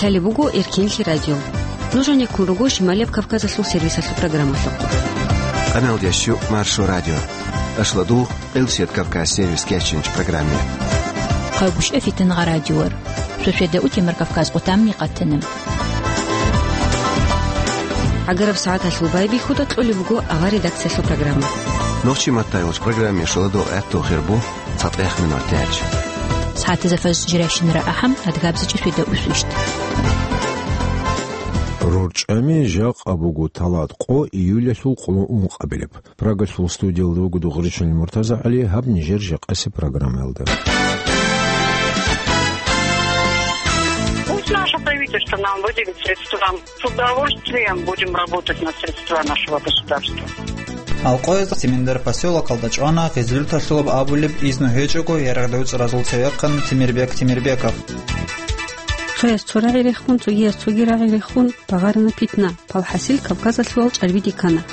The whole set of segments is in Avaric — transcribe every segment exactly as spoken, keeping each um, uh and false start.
Лъалеб буго Эркенлъи радио. Нуж гӀенеккун руго Шималияб Кавказалъул сервисалъул программалъухъ. Къамелдящу Маршо радио. Ашлодул Къилсият Кавказ сервис кечинч программе. Къайгъушев Фитнагъа радиор. Шошеда утемар Кавказ къутамни къатана. ГӀагараб сагӀаталъул байбихьуда кьолеб буго авар редакциялъул программа. Нохчи маттайгъуч программе шоладул гӀаттул хирбу. ЦатӀех минут тяч. СагӀатазда фаз жирайщинара ахӀам, адгабзичӀи шведа усвищт. РорчӀами жакъа буго талат къо июлялъул къоло ункъабилеб. Прагалъул студиялда вуго Дугъричил МуртазагӀали, гьаб нижер жакъаси программаялда. Пусть наше правительство нам выделит средства. С удовольствием будем работать на средства нашего государства. Алкъоязда Семендар посёлокалда чӀвана гъезлъуталъулаб абулеб изну гьечӀого ярагъдавцӀ разул цевехъан Темирбек Темирбеков. Цояс цо рагӀи рехун, цогияс цоги рагӀи рехун, багъарана питна, палхӀасил Кавказалъувал чӀарбиде ккана.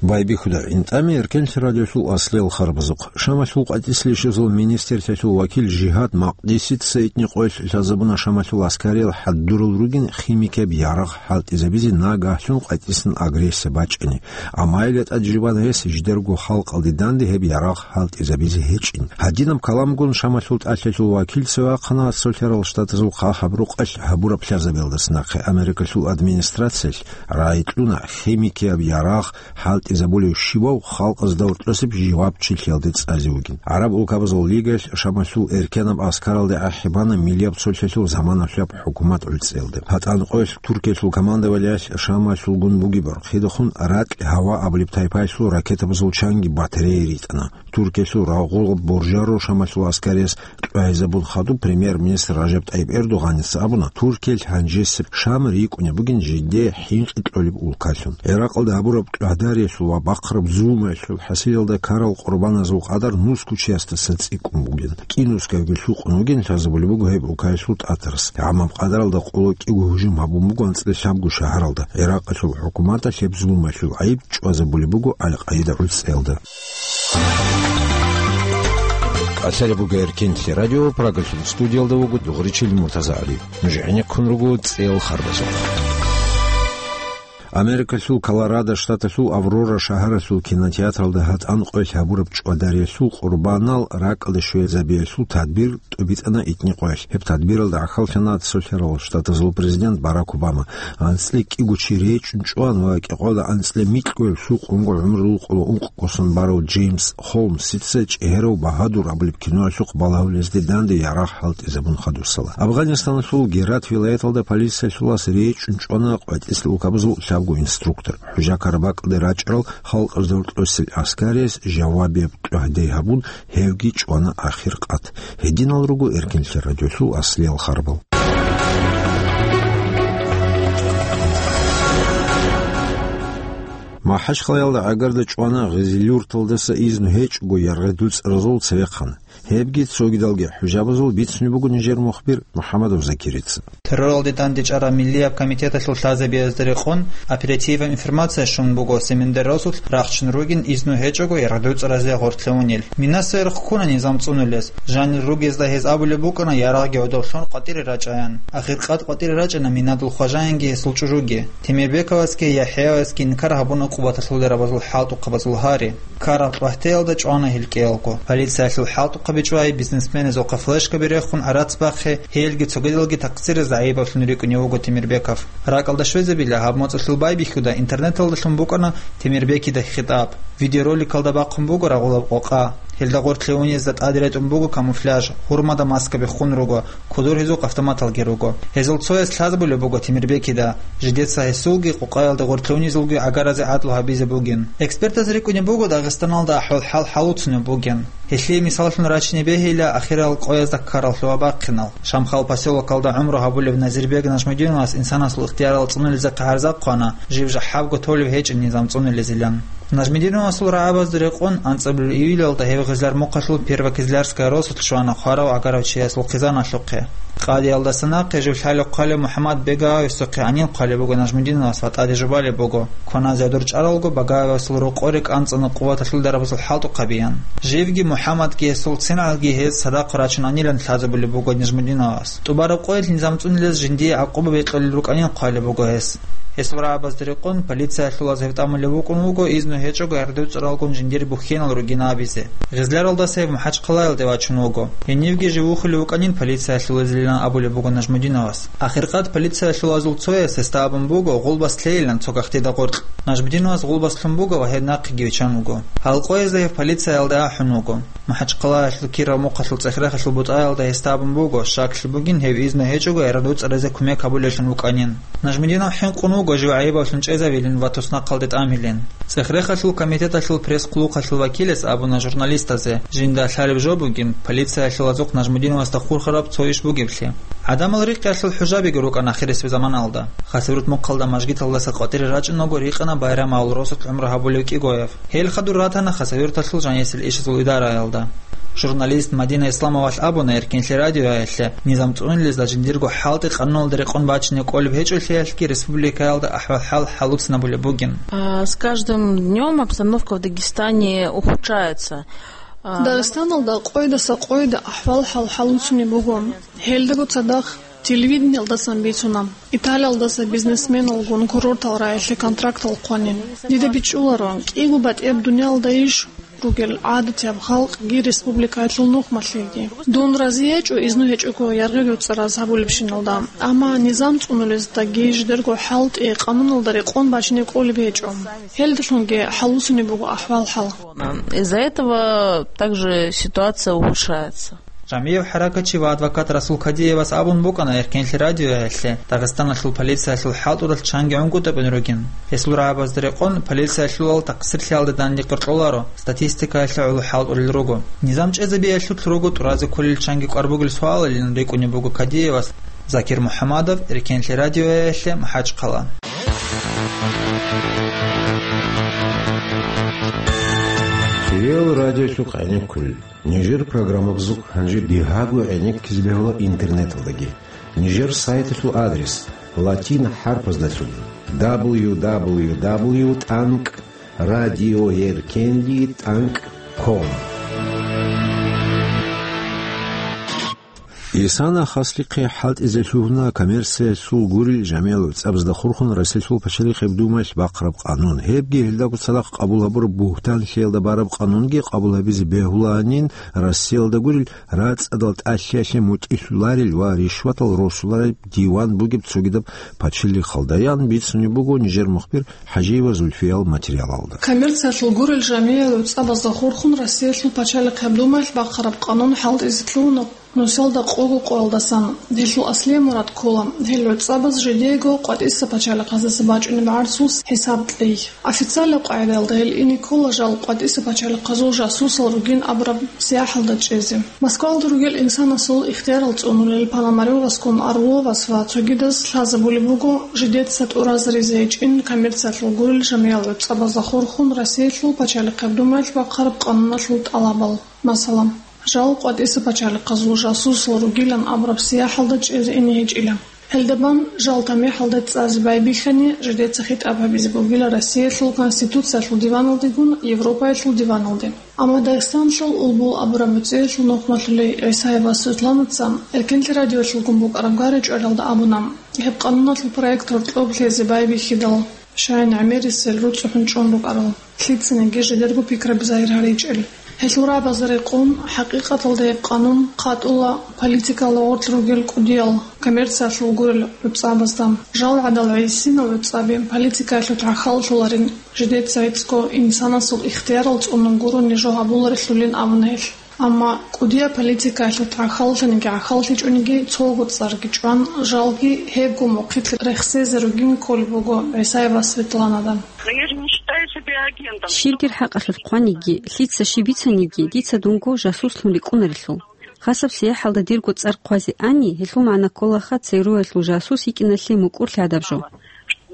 Байбихьуда гӀинтӀами Эркенлъи радиолъул аслиял харбазухъ. Шамалъул къватӀислъи щвезал министрлъиялъул вакил Жигьад Макъдисица итни къоялъ лъазабуна Шамалъул аскариял хӀаддурал ругин химикияб ярагъ хӀалтӀизабизе нагагьлъун къватӀисан агрессия бачӀани. Амма гьелда тӀад жибан гьес жидерго халкъалде данде гьеб ярагъ хӀалтӀизабизе гьечӀин. Гьадинаб каламгун Шамалъул тӀалъалъул вакилца вахъана Цолъарал Штатазул хъа гьаб рукъалъ гьабураб лъазабиялдаса нахъе Америкалъул администрациялъ рагӀи кьуна химикияб ярагъ хӀалтӀизабулев щивав халкъазда гьоркьосеб жавабчилъиялде цӀазе вугин. ГӀараб улкабазул лигаялъ Шамалъул эркенаб аскаралде ахӀи бана миллияб цолъалъул заманалъулаб хӀукумат гӀуцӀиялда. ГьатӀан къоялъ Туркиялъул командованиялъ Шамалъулгун бугеб бархъидахун ракь гьава абулеб тайпаялъул ракетабазул чанги батарея ритӀана. Туркиялъул рагъул боржаро Шамалъул аскарияс кьвагьизабун хадуб премьер-министр Ражаб ТӀайиб Эрдогъаница абуна, Туркиялъ гьанжесеб Шам рикӀкӀунеб бугин жидее хӀинкъи кьолеб улкалъун. ГӀиракъалда гьабураб кьвагьдариялъул ва бахъараб зулмаялъул хӀасилалда ккарал къурбаназул къадар нусго чиясдаса цӀикӀкӀун бугин. КӀинусгавги лъукъун вугин лъазабулеб буго гьеб улкаялъул тӀатарас. ГӀамаб къадаралда къоло кӀиго гьужум гьабун буго анцӀила лъабго шагьаралда. ГӀиракъалъул хӀукуматалъ гьеб зулмаялъул гӀайиб чӀвазабулеб буго Аль-Къаида гӀуцӀиялда. Къасалеб буго Эркенлъи радио, Прагалъул студиялда вуго Дугъричил МуртазагӀали. Нуж гӀенеккун руго цӀел харбазухъ. Америкалъул Колорадо штаталъул Аврора шагьаралъул кинотеатралда гьатӀан къоялъ гьабураб чӀвадариялъул къурбанал ракӀалде щвезабиялъул тадбир тӀубитӀана итни къоялъ. Гьеб тадбиралда гӀахьаллъана Цолъарал Штатазул президент Барак Обама. АнцӀила кӀиго чи речӀчӀун чӀван ва кӀикъоялда анцӀила микьго лъукъун гӀумру къоло ункъ ккосан барав Джеймс Холмсица ЧӀегьерав багьадур абулеб киноялъухъ балагьулезде данде ярагъ хӀалтӀизабун хадусала. Афганистаналъул Герат вилаяталда полициялъулас речӀчӀун чӀвана къватӀислъи улкабазул лъабго инструктор. ХӀужа-карабакьалде рачӀарал халкъазда гьоркьосел аскарияс жавабияб кьвагьдай гьабун, гьевги чӀвана ахир къат. Гьединал руго Эркенлъи радиолъул аслиял харбал. МахӀачхъалаялда гӀагарда чӀвана гъезилъурталдаса изну гьечӀого яргъи дуцӀразул цевехъан. Гьебги цогидалги хӀужабазул бицунеб буго нижер мухбир МухӀаммадов Закирица. Терроралде дандечӀараб миллияб комитеталъул лъазабиязда рекъон оперативаб информация щун буго Семендар росулъ рахчун ругин изну гьечӀого яргъдуцӀразе гъортлъе унел. Минаса рехун ккуна низам цӀунулез. Жанир ругезда гьез абулеб букӀана ярагъги гӀодов лъун къватӀире рачӀаян. Ахир къад къватӀире рачӀана Минадул хважаянги гьесул чӀужуги. Темирбековасги ЯхӀяевасги инкар гьабуна къуваталъуларабазул хӀалтӀухъабазул гьари. Ккараб кьвагьтеялда чӀвана гьел кӀиялго. Полициялъул хӀалтӀухъаби чӀвай, бизнесменазухъа флешкаби рехун гӀарац бахъи, гьелги цогидалги такъсире загӀипавлъун рикӀкӀунев вуго Темирбеков. РакӀалда щвезабила гьаб моцӀалъул байбихьуда интернеталдалъун букӀана Темирбекида хитӀаб. Видеороликалда бахъун буго рагъулаб къокъа. Гьелда гъортлъе унезда тӀаде ретӀун буго камуфляж, гьурмада маскаби хун руго, кудур гьезухъ автоматалги руго. Гьезул цояс лъазабулеб буго Темирбекида, жидеца гьесулги къокъаялда гъортлъе унезулги гӀагаразе гӀадлу гьабизе бугин. Экспертаз рикӀкӀунеб буго Дагъистаналда ахӀвал-хӀал хӀалуцунеб бугин. Гьелъие мисаллъун рачине бегьила ахирал къоязда ккарал лъугьа-бахъинал. Шамхал посёлокалда гӀумру гьабулев Назирбек Нажмудиновас инсанасул ихтиярал цӀунулезехъе гӀарза хъвана, жив жахӀабго толев гьечӀин низам цӀунулезилан. Нажмидиновасул рагӀабазда рекъон анцӀабилеб июлалда гьев Гъизлар мухъалъул Первокизлярская росулъ щвана хварав гӀагарав чиясул хъизаналъухъе. Къадиялдаса нахъе жив лъалев хъвалев МухӀаммад Бегаевасухъе гьанин хъвалеб буго Нажмудиновас ва тӀаде жубалеб буго, кваназе гьадур чӀаралго Багаевасул рокъоре кӀанцӀана къуваталъул дарабазул хӀалтӀухъабиян. Живги МухӀаммадги гьесул цинагӀалги гьез цадахъ рачунанилан лъазабулеб буго Нажмудиновас. ТӀубараб къоялъ низам цӀунулез жиндие гӀакъуба бекьулел рукӀанин хъвалеб буго гьес. Гьесул рагӀабазда рекъон полициялъулаз гьев тӀамулеб букӀун вуго, изну гьечӀого гӀердуцӀаралгун жиндир бухьенал ругин абизе. Гъизларалдаса гьев МахӀачхъалаялде вачун вуго. Гьенивги жив вухулев вукӀанин полициялъулазилан абулеб буго Нажмудиновас. Ахиркъад полициялъулазул цояс гьесда абун буго гъулбас лъейилан цо гахтида гъоркь. Нажмудиновас гъулбас лъун буго ва гьеб нахъеги виччан вуго. Гьал къоязда гьев полициялде ахӀун вуго. МахӀачхъалаялъул Киров мухъалъул цӀех-рехалъул бутӀаялда гьесда абун буго, щаклъи бугин гьев изну гьечӀого гӀердуцӀаразе кумек гьабулевлъун вукӀанин. Нажмудинов хӀинкъун вуго жив гӀайибавлъун чӀезавилин ва туснахъалде тӀамилин. ЦӀех-рехалъул комитеталъул пресс-хъулухъалъул вакилас абуна журналистазе, жинда лъалеб жо бугин, полициялъулазухъ Нажмудиновасда хурхараб цо иш бугеблъи. ГӀадамал рикъиялъул хӀужабиги рукӀана ахирисеб заманалда. Хасавюрт мухъалда мажгиталдаса къватӀире рачӀунаго рикъана Байрамалъул росулъ гӀумру гьабулев КӀигоев. Гьел хадур ратана Хасавюрталъул жанисел ишазул идараялда. Журналист Мадина Исламовалъ абуна Эркенлъи радиоялъе, низам цӀунулезда жиндирго хӀалтӀи къануналда рекъон бачине кӀолеб гьечӀолъиялъги республикаялда ахӀвал-хӀал хӀалуцинабулеб бугин. А, с каждым днём обстановка в Дагестане ухудшается. А, Дагъистаналда къойдаса къойда ахӀвал-хӀал хӀалуцунеб буго. Гьелдаго цадахъ телевидениялдасан бицуна. Италиялдаса бизнесменалгун курортал рагӀилъе контрактал хъванин. Дида бичӀчӀуларо, кӀиго батӀияб дуниялда иш ругел гӀадатияб халкъги республикаялъул нухмалъиги. Дун рази гьечӀо изну гьечӀого яргъи-гӀуцӀараз гьабулебщиналда, амма низам цӀунулездаги жидерго хӀалтӀи къануналда рекъон бачине кӀолеб гьечӀо. Гьелдалъунги хӀалуцунеб буго ахӀвал-хӀал. Из-за этого также ситуация ухудшается. Жамиев хӀаракатчи ва адвокат Расул Кадиевас абун букӀана Эркенлъи радиоялъе, Дагъистаналъул полициялъул хӀалтӀудалъ чанги гӀунгутӀабун ругин. Гьесул рагӀабазда рекъон, полициялъулал такъсирлъиялда данде къоркьоларо, статистикаялъе гӀоло хӀалтӀулел руго. Низам чӀезабиялъулъ руго тӀуразе кколел чанги кӀвар бугел суалалин рикӀкӀунеб буго Кадиевас. Закир МухӀамадов, Эркенлъи радиоялъе, МахӀачхъала. Хириял радиолъухъ гӀенеккулел. Нижер программабазухъ гьанже бигьаго гӀенеккизе бегьула интернеталдаги. Нижер сайталъул адрес: латин хӀарпаздалъун: дабл ю дабл ю дабл ю тӀанкӀ радиоеркенлъи тӀанкӀ ком. Исана хаслихъе хӀалтӀизе лъугьуна коммерциялъул гурел жамиялъул цӀабазда хурхун Россиялъул пачалихъеб Думаялъ бахъараб къанун. Гьебги гьелдаго цадахъ къабул гьабураб бугьтанлъиялда бараб къанунги къабул гьабизе бегьулаанин Россиялда гурел рацӀцӀадал тӀалъиялъе мутӀигӀлъуларел ва ришватал росулареб диван бугеб цогидаб пачалихъалдаян бицунеб буго нижер мухбир ХӀажиева Зульфиял материалалда. Коммерциялъул гурел жамиялъул цӀабазда хурхун Россиялъул пачалихъеб Думаялъ бахъараб къанун хӀалтӀизе лъугьуна нусалда къого къоялдасан. Гьелъул аслияб мурад ккола гьел гӀуцӀабаз жидеего къватӀиса пачалихъаздаса бачӀунеб гӀарцул хӀисаб кьей. Официалаб къагӀидаялда гьел ине ккола жал къватӀиса пачалихъазул жасусал ругин абураб сияхӀалда чӀезе. Москвалда ругел инсанасул ихтиярал цӀунулел Пономарёвасгун Орловас ва цогидаз лъазабулеб буго жидеца тӀуразаризе гьечӀин коммерциялъул гурел жамиялъул гӀуцӀабазда хурхун Россиялъул пачалихъеб Думаялъ бахъараб къануналъул тӀалабал. Масала, жал къватӀиса пачалихъазул жасусал ругилан абураб сияхӀалда чӀезе ине гьечӀила. Гьелда бан жал тамихӀалда цӀазе байбихьани, жидеца хитӀаб гьабизе бугила Россиялъул Конституциялъул диваналдегун Европаялъул диваналде. Амма Дагъистаналъул Улбул абураб муцӀиялъул нухмалъулей ГӀисаева Светланаца Эркенлъи радиоялъулгун букӀараб гъари чӀваралда абуна, гьеб къануналъул проект гьоркьоб лъезе байбихьидал, щай гӀемерисел руцӀцӀухӀун чӀун рукӀарал, лъицаниги жидерго пикраби загьир гьаричӀел. Гьелъул рагӀабазда рекъон, хӀакъикъаталда гьеб къанун хъатӀула политикалда гъорлъ ругел кӀудиял коммерциялъул гурел гӀуцӀабазда. Жал гӀадал гӀисинал гӀуцӀаби политикаялъул тӀахьаллъуларин, жидеца гӀицӀго инсанасул ихтиярал цӀунун гурони жо гьабуларелъулин абуна гьелъ. Амма кӀудияб политикаялъул тӀахьаллъаниги гӀахьаллъичӀониги цого цӀарги чӀван, жалги гьебго мухъилъ рехсезе ругин кколеб буго ГӀисаева Светланада. Но я же не считаю себя агентом. Щиб дир хӀакъалъулъ хъваниги, лъица щиб бицаниги, дица дунго жасуслъун рикӀкӀунарелъул. Хасаб сияхӀалда дирго цӀар хъвазе ани, гьелъул магӀна кколаха ЦРУ-ялъул жасус йикӀиналъе мукӀурлъи гьадаб жо.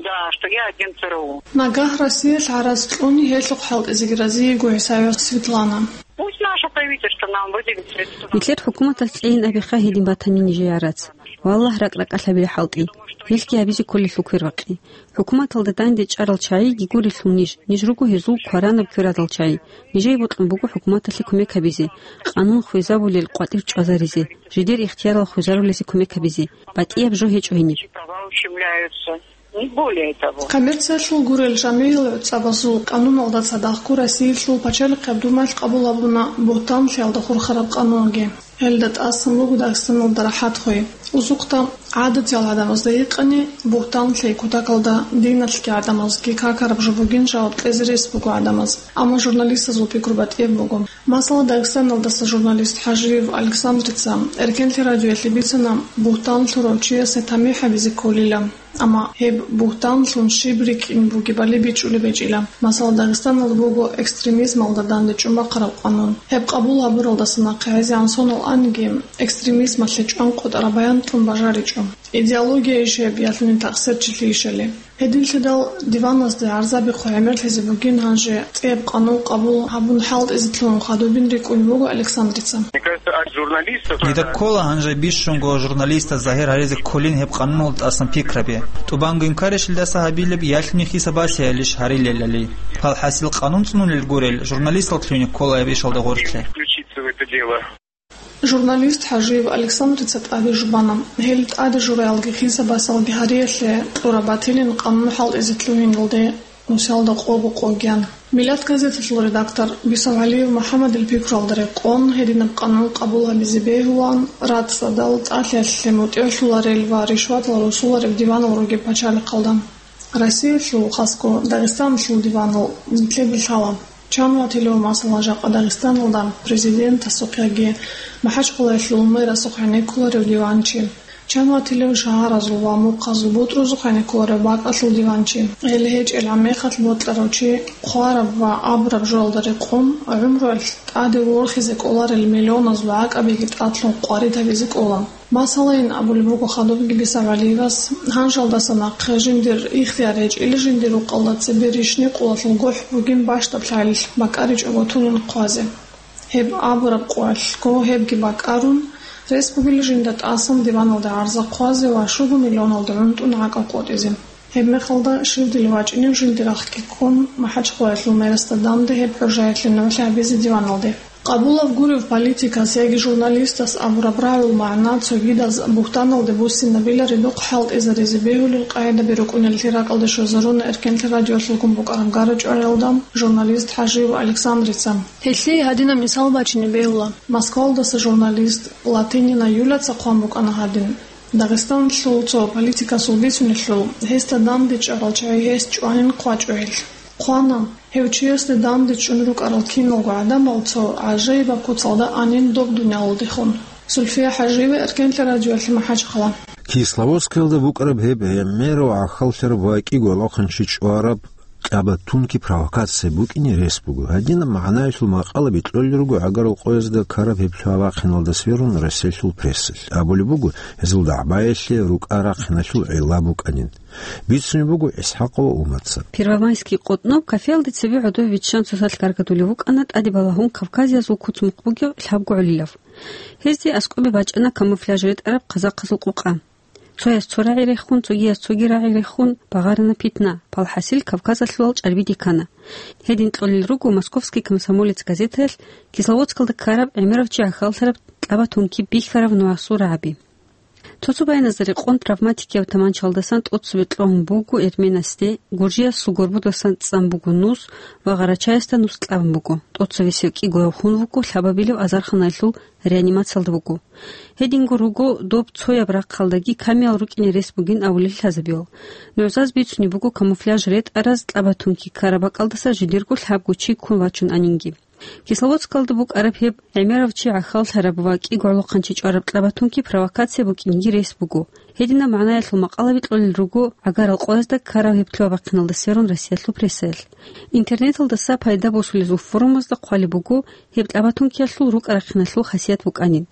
Да, что я агент ЦРУ. Нагагь Россиялъ гӀарац кьуни гьелъухъ хӀалтӀизеги разиего ГӀисаева Светлана. Пусть наше правительство нам выделит средства. Нилъер хӀукуматалъ кьейин абиха гьедин батани нижее гӀарац. Валлагь, ракӀ-ракӀалъ гьабила хӀалтӀи. Гьелъги гьабизе кколелъул квербакъи. ХӀукуматалда данде чӀарал чагӀиги гурелъул ниж, ниж руго гьезул кваранаб кверадал чагӀи. Нижее бокьун буго хӀукуматалъе кумек гьабизе, къанун хвезабулел къватӀир чӀвазаризе, жидер ихтиярал хвезарулезе кумек гьабизе, батӀияб жо гьечӀо гьениб. Права ущемляются. Не более того. Коммерциялъул гурел жамигьил гӀуцӀабазул къануналда цадахъго Россиялъул пачалихъаб думаялъ къабул гьабуна бугьтанлъиялда хурхараб къанунги. Гьелда тӀасан буго Дагъистаналда рахӀат хвей. Узухъда гӀадатиял гӀадамазда гьикъани, бугьтанлъи кутакалда диналъги гӀадамазги какараб жо бугин жаваб кьезе рес буго гӀадамаз. Амма журналистазул пикру батӀияб буго. Масала, Дагъистаналдаса журналист ХӀажиев Александрица Эркенлъи радиоялъе бицана, бугьтан лъурав чиясе тамихӀ гьабизе кколила. Амма гьеб бугьтанлъун щиб рикӀкӀин бугебали бичӀчӀулеб гьечӀила. Масала, Дагъистаналда буго экстремизмалда данде чӀумахъараб къанун. Гьеб къабул гьабуралдаса нахъе гӀезегӀан сонал аниги, экстремизмалъе чӀван къотӀараб баян тун бажаричӀо. Идеологияйищ гьеб, ялъуни такъсирчилъийищали? Гьединлъидал диваназде гӀарзаби хъвагӀемерлъизе бугин гьанже цӀияб къанун къабул гьабун хӀалтӀизе лъугьун хадубин рикӀкӀунеб буго Александрица. Мне кажется, от журналистов... Дида ккола гьанже бищунго журналистаз загьир гьаризе кколин гьеб къануналда тӀасан пикраби. ТӀубанго инкарищ илдаса гьабилеб, ялъуни хисабасеялищ гьарилелали. Палхасил къанун цӀунулел гурел, журналистал лъугьине ккола гьеб ишалда гъорлъе. Включиться в это дело. Журналист ХӀажиев Александрица тӀаде жубана. Гьел тӀаде жураялги хисабасалги гьариялъе кьураб батилин къанун хӀалтӀизе лъугьиналде нусиялда къого къо гьан. «Миллат» газеталъул редактор Бисавгьалиев МухӀаммадил пикруялда рекъон, гьединаб къанун къабул гьабизе бегьулаан, рацӀцӀадал, тӀалъиялъе мутӀигӀлъуларел ва ришватал росулареб диванал ругеб пачалихъалда. Россиялъул, хасго Дагъистаналъул диванал нилъеда лъала. Чан ватилев, масала, жакъа Дагъистаналда президентасухъ яги МахӀачхъалаялъул мэрасухъ гӀенеккуларев диванчи? Чан ватилев шагьаразул ва мухъазул бутӀрузухъ гӀенеккуларев бакӀалъул диванчи? Гьел гьечӀел гӀан мехалъ бокьарав чи хъвараб ва абураб жоялда рекъон, гӀумруялъ тӀаде ворхизе кӀоларел миллионазул гӀакӀабиги тӀадлъун къварид гьабизе кӀола. Масалайин, абулеб буго хадубги Бисавгьалиевас, гьанжалдаса нахъе жиндир ихтияр гьечӀила жиндир рукъалда цебе ришни къулалъул гохӀ бугин бащдаб лъалилъ бакӀаричӀого тунин хъвазе. Гьеб абураб къоялъго гьебги бакӀарун, рес бугила жинда тӀасан диваналда гӀарза хъвазе ва щуго миллионалда гӀунтӀун гӀакӀал къотӀизе. Гьеб мехалда щивдали вачӀинев жиндир рахъги ккун, МахӀачхъалаялъул мэрасда данде гьеб хӀужаялъе нугӀлъи гьабизе диваналде. Къабулаб гурев политикас яги журналистас абураб рагӀул магӀна цогидаз бугьтаналде буссинабила ридухъ хӀалтӀизаризе бегьулел къагӀидаби рукӀунеллъи ракӀалде щвезаруна Эркенлъи радиолъулгун букӀараб гара-чӀвариялда журналист ХӀажиев Александрица. Гьелъие гьадинаб мисал бачине бегьула. Москвалдаса журналист Латынина Юляца хъван букӀана гьадин: Дагъистаналъул цо политикасул бицунелъул, гьесда данде чӀарал чагӀи гьес чӀванин хъвачӀо гьел. Хъвана, гьев чиясде данде чӀун рукӀарал киналго гӀадамал цо гӀажаибаб куцалда анин доб дуниялалдехун. Сульфия ХӀажиева, Эркенлъи радиоялъе МахӀачхъала. Кисловодскалда букӀараб гьеб гӀемерав гӀахьаллъараб ва кӀиго лохъанчи чӀвараб кьаба тунки провокация букӀине рес буго. Гьадинаб магӀнаялъул макъалаби кьолел руго гӀагарал къоязда ккараб гьеб лъугьа-вахъиналда сверун Россиялъул прессалъ. Абулеб буго, гьезул дагӀбаялъе рукӀа-рахъиналъул гӀилла букӀанин. Бицунеб буго ИсхӀакъова Умарца. Первомайский къотӀноб кафеялде цебе гӀодов виччан цоцалъ гаргадулев вукӀана тӀаде балагьун кавказиязул куц-мухъ бугев лъабго гӀолилав. Гьезде аскӀобе бачӀана камуфляж ретӀараб казахъазул къокъа. Цояс цо рагӀи рехун, цогияс цоги рагӀи рехун, багъарана питна, палхӀасил Кавказалъулал чӀарбиде ккана. Гьедин кьолел руго «Московский комсомолец» газетаялъ Кисловодскалда ккараб гӀемерав чи гӀахьаллъараб кьаба тунки бихьараб нугӀасул рагӀаби. Цо-цо баяназда рекъон травматикияб таманчалдасан тӀоцебе кьогьун буго эрменасде, гуржиясул горбудасан цӀан буго нус ва гъарачаясда нус кьабун буго. ТӀоцевесев кӀиго гьев хун вуго, лъабабилев азарханалъул реанимациялда вуго. Гьединго руго доб цояб рахъалдаги камиял рукӀине рес бугин абулел лъазабиял. НугӀзаз бицунеб буго камуфляж ретӀараз кьаба тунки ккараб бакӀалдаса жидерго лъабго чи ккун вачун анинги. Кисловодскалда букӀараб гьеб гӀемерав чи гӀахьаллъараб ва кӀиго гӀолохъанчи чӀвараб кьабатунки провокация букӀинги рес буго. Гьединаб магӀнаялъул макъалаби кьолел руго гӀагарал къоязда ккараб гьеб лъугьа-бахъиналда сверун Россиялъул прессаялъ. Интернеталдаса пайда босулезул форумазда хъвалеб буго гьеб кьабатункиялъул рукӀа-рахъиналъул хасият букӀанин.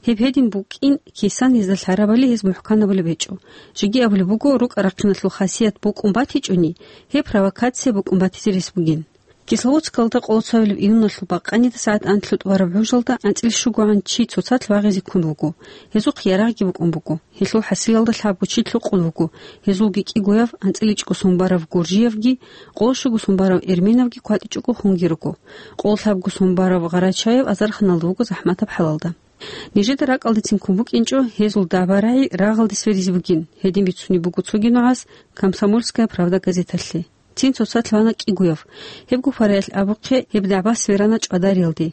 Гьеб гьедин букӀин, кисан гьезда лъарабали гьез мухӀканабулеб гьечӀо. Жеги абулеб буго, рукӀа-рахъиналъул хасият букӀун батичӀони, гьеб провокация букӀун батизе рес бугин. Кисловодскалда къоло цоабилеб июналъул бакъанида сагӀат анлъго тӀубараб гӀужалда анцӀила щугогӀан чи цоцалъ вагъизе ккун вуго. Гьезухъ ярагъги букӀун буго. Гьелъул хӀасилалда лъабго чи лъукъун вуго. Гьезулги кӀигояв анцӀила чӀого сон барав гуржиявги, къоло щуго сон барав эрменавги кватӀичӀого хунги руго. Къоло лъабго сон барав гъарачаев азарханалда вуго захӀматаб хӀалалда. Нижеда ракӀалдецин ккун букӀинчӀо гьезул дагӀба-рагӀи рагъалде сверизе бугин, гьедин бицунеб буго цоги нугӀас «Комсомольская правда» газеталъе. Цин цоцалъ вана кӀигояв. Гьебго параялъ абухъе, гьеб дагӀба сверана ЧӀвадариялде.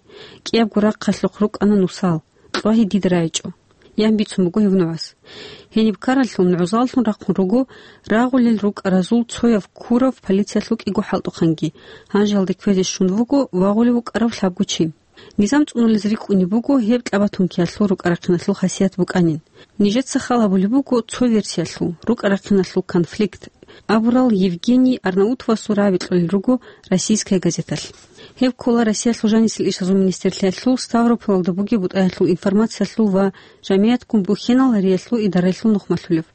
КӀиябго рахъалъухъ рукӀана нусал. Кьвагьи дида рагӀичӀо, ян бицун буго гьев нугӀас. Гьениб ккараллъун гӀузаллъун рахъун руго рагъулел рукӀаразул цояв ккурав полициялъул кӀиго хӀалтӀухъанги, гьанжеялде кквезе щун вуго вагъулев вукӀарав лъабго чи. Низам цӀунулез рикӀкӀунеб буго гьеб кьабатункиялъул рукӀа-рахъиналъул хасият букӀанин. Нижеца хал гьабулеб буго цо версиялъул, рукӀа-рахъиналъул конфликт абурал Евгений Арнаутовасул рагӀаби кьолел руго «Российская газеталъ». Гьеб ккола Россиялъул жанисел ишазул министрлъиялъул Ставрополалда бугеб бутӀаялъул информациялъул ва жамигӀатгун бухьиналариялъул идараялъул нухмалъулев.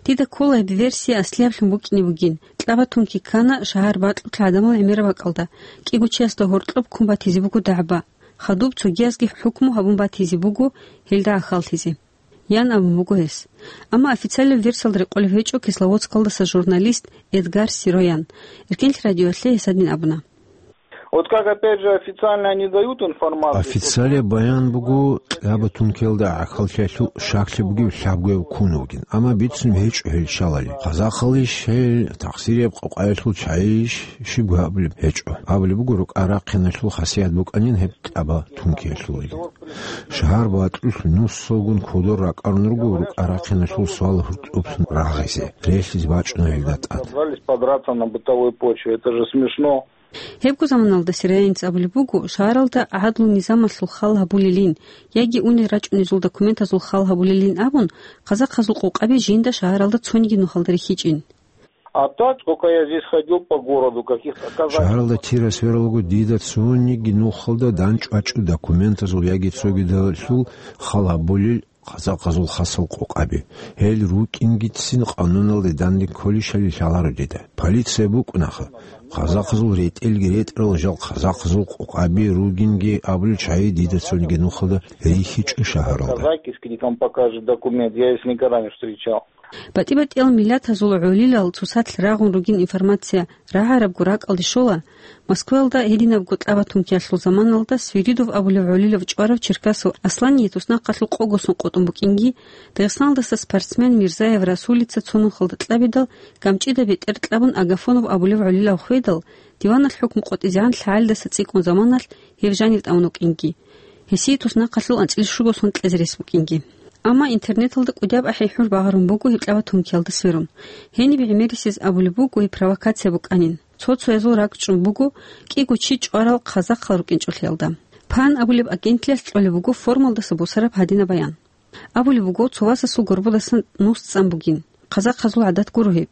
Дида ккола гьеб версия аслияблъун букӀине бугин. Кьабатунки ккана шагьар бакьулъ гӀадамал гӀемераб бакӀалда, кӀиго чиясда гьоркьоб ккун батизе буго дагӀба. Хадуб цогиязги хӀукму гьабун батизе буго гьелда гӀахьаллъизе. Ян абун буго гьес. Амма официальный версиялда рекъолеб гьечӀо Кисловодскалдаса журналист Эдгар Сироян. Эркенлъи радиоялъе гьес гьадин абуна. Вот как, опять же, официально они дают информацию, что... Официалияб баян буго, кьабатункиялда гӀахьаллъиялъул щаклъи бугев лъабгояв ккун вугин, амма бицун гьечӀо гьел щалали. Хъазахъалищ гьел, тахсирияб къокъаялъул чагӀийищ, щибго абулеб гьечӀо. Абулеб буго, рукӀа-рахъиналъул хасият букӀанин гьеб кьабатункиялъул. Шагьар бакьулъ нусалгун кодор ракӀарун руго рукӀа-рахъиналъул суал гьоркьоблъун рагъизе. Релълъизе бачӀуна гьелда тӀад. Собрались подраться на бытовой почве. Это же смешно. Гьебго заманалда Сироянец абулеб буго, шагьаралда гӀадлу-низамалъул хал гьабулелин, яги унел рачӀунезул документазул хал гьабулелин абун, хъазахъазул къокъаби жинда шагьаралда цониги нухалда рихьичӀин. А так, сколько я здесь ходил по городу, каких-то казачьих... Шагьаралда тира-свералго дида цониги нухалда данчӀвачӀу документазул яги цогидалъул хал гьабулел хъазахъазул хасал къокъаби. Гьел рукӀингицин къануналде данде кколищали лъаларо дида. Полиция букӀунаха. Хъазахъазул ретӀелги ретӀарал жал хъазахъазул къокъаби ругинги абулел чагӀи дида цониги нухалда рихьичӀо шагьаралда. Казак, если там покажет документ, я их никогда не встречал. БатӀи-батӀиял миллатазул гӀолилал цоцалъ рагъун ругин информация рагӀарабго ракӀалде щола, Москваялда гьединабго кьабатункиялъул заманалда Свиридов абулев гӀолилав чӀварав Черкасов Аслание туснахъалъул къогосун къотӀун букӀинги, Дагъистаналдаса спортсмен Мирзаев Расулица цо нухалда кьабидал, ГамчӀида бетӀер кьабун Агафонов абулев гӀолилав хведал, диваналъ хӀукму къотӀизегӀан лъагӀалидаса цӀикӀкӀун заманалъ гьев жанив тӀамун вукӀинги. Гьесие туснахъалъул анцӀила щуго сон кьезе рес букӀинги. Амма интернеталда кӀудияб ахӀи-хӀур багъарун буго гьеб кьабатункиялда сверун. Гьениб гӀемерисез абулеб буго гьеб провокация букӀанин. Цо-цоязул ракӀчӀун буго кӀиго чи чӀварал хъазахъал рукӀинчӀолъиялда. Пан абулеб агентлъиялъ кьолеб буго форумалдаса босараб гьадинаб баян. Абулеб буго, цо васасул горбодасан нус цӀан бугин. Хъазахъазул гӀадат гуро гьеб.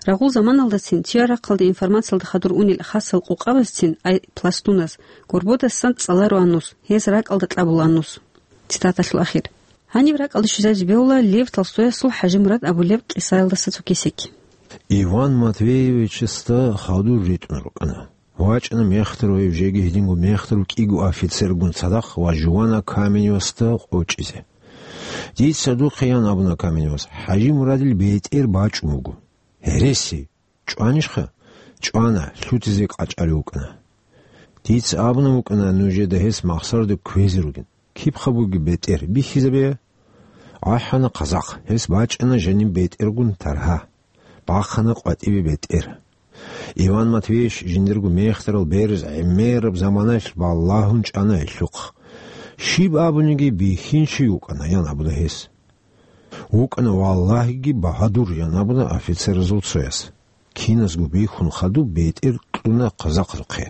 Рагъул заманалдацин, чияр рахъалде информациялда хадур унел хасал къокъабазцин, ай пластуназ, горбодасан цӀалароан нус, гьез ракӀалда кьабулаан нус. Цитаталъул ахир. Гьаниб ракӀалде щвезаризе бегьула Лев Толстоясул ХӀажимурад абулеб къисаялдаса цо кесек. Иван Матвеевичасда хадур ритӀун рукӀана. ВачӀана мехтарав гьев, жеги гьединго мехтарав кӀиго офицергун цадахъ ва Жувана Каменевасда къочӀизе. Дица духъе, ян абуна Каменевас, ХӀажимурадил бетӀер бачӀун буго. Гьереси! ЧӀванищха? ЧӀвана, лъутизе къачӀалев вукӀана. Дица абуна букӀана нужеда гьес махсарда кквезе ругин. Кибха бугеб бетӀер, бихьизабея. АхӀана хъазахъ, гьес бачӀана жаниб бетӀергун таргьа. Бахъана къватӀибе бетӀер. Иван Матвеевич жиндирго мехтарал бераз гӀемераб заманаялъ балагьун чӀана гьелъухъ. Щиб абуниги бихьинчи вукӀана, ян абуна гьес. ВукӀана валлагьиги багьадур, ян абуна офицеразул цояс. Киназго бихьун хадуб бетӀер кьуна хъазахъзухъе.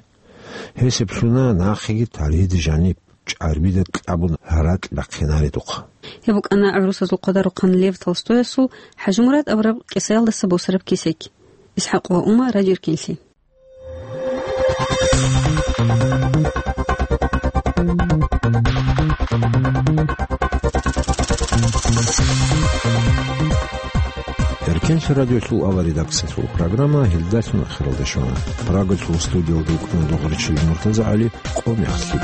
Гьесиблъуна нахъеги тарихида жаниб чӀарбида кьабун гьаракь бахъинаредухъ. Гьеб букӀана гӀурусазул къадарухъан Лев Толстоясул ХӀажимурад абураб кӀисаялдаса босараб кесек. ИсхӀакъ ва Ума, Радио Эркенлъи. Эркенлъи радиолъул авал редакциялъул программа гьелдалъун ахиралде щвана. Прагалъул студиялда вукӀана Догъричил МуртазагӀали. Къо мехлъи.